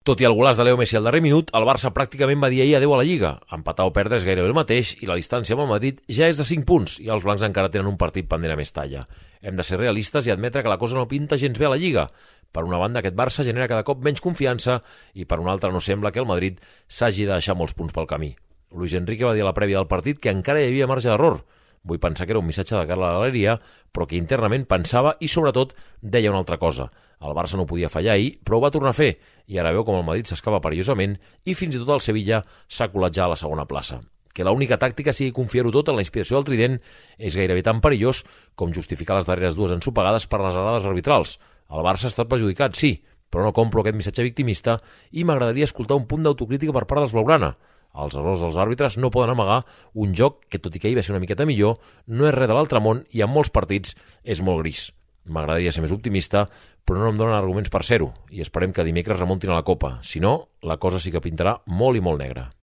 Tot i el golaç de Leo Messi al darrer minut, el Barça pràcticament va dir ahir adeu a la Lliga. Empatar o perdre és gairebé el mateix i la distància amb el Madrid ja és de 5 punts i els blancs encara tenen un partit pendent a més talla. Hem de ser realistes i admetre que la cosa no pinta gens bé a la Lliga. Per una banda, aquest Barça genera cada cop menys confiança i per una altra no sembla que el Madrid s'hagi de deixar molts punts pel camí. Luis Enrique va dir a la prèvia del partit que encara hi havia marge d'error. Vull pensar que era un missatge de cara a la galeria, però que internament pensava i, sobretot, deia una altra cosa. El Barça no podia fallar ahir, però ho va tornar a fer, i ara veu com el Madrid s'escapa perillosament i fins i tot el Sevilla s'ha colat ja a la segona plaça. Que l'única tàctica sigui confiar-ho tot en la inspiració del trident és gairebé tan perillós com justificar les darreres dues ensopegades per les errades arbitrals. El Barça ha estat perjudicat, sí, però no compro aquest missatge victimista i m'agradaria escoltar un punt d'autocrítica per part dels blaugrana. Els errors dels àrbitres no poden amagar un joc que, tot i que ahir va ser una miqueta millor, no és res de l'altre món i en molts partits és molt gris. M'agradaria ser més optimista, però no em donen arguments per ser-ho, i esperem que dimecres remuntin a la Copa. Si no, la cosa sí que pintarà molt i molt negra.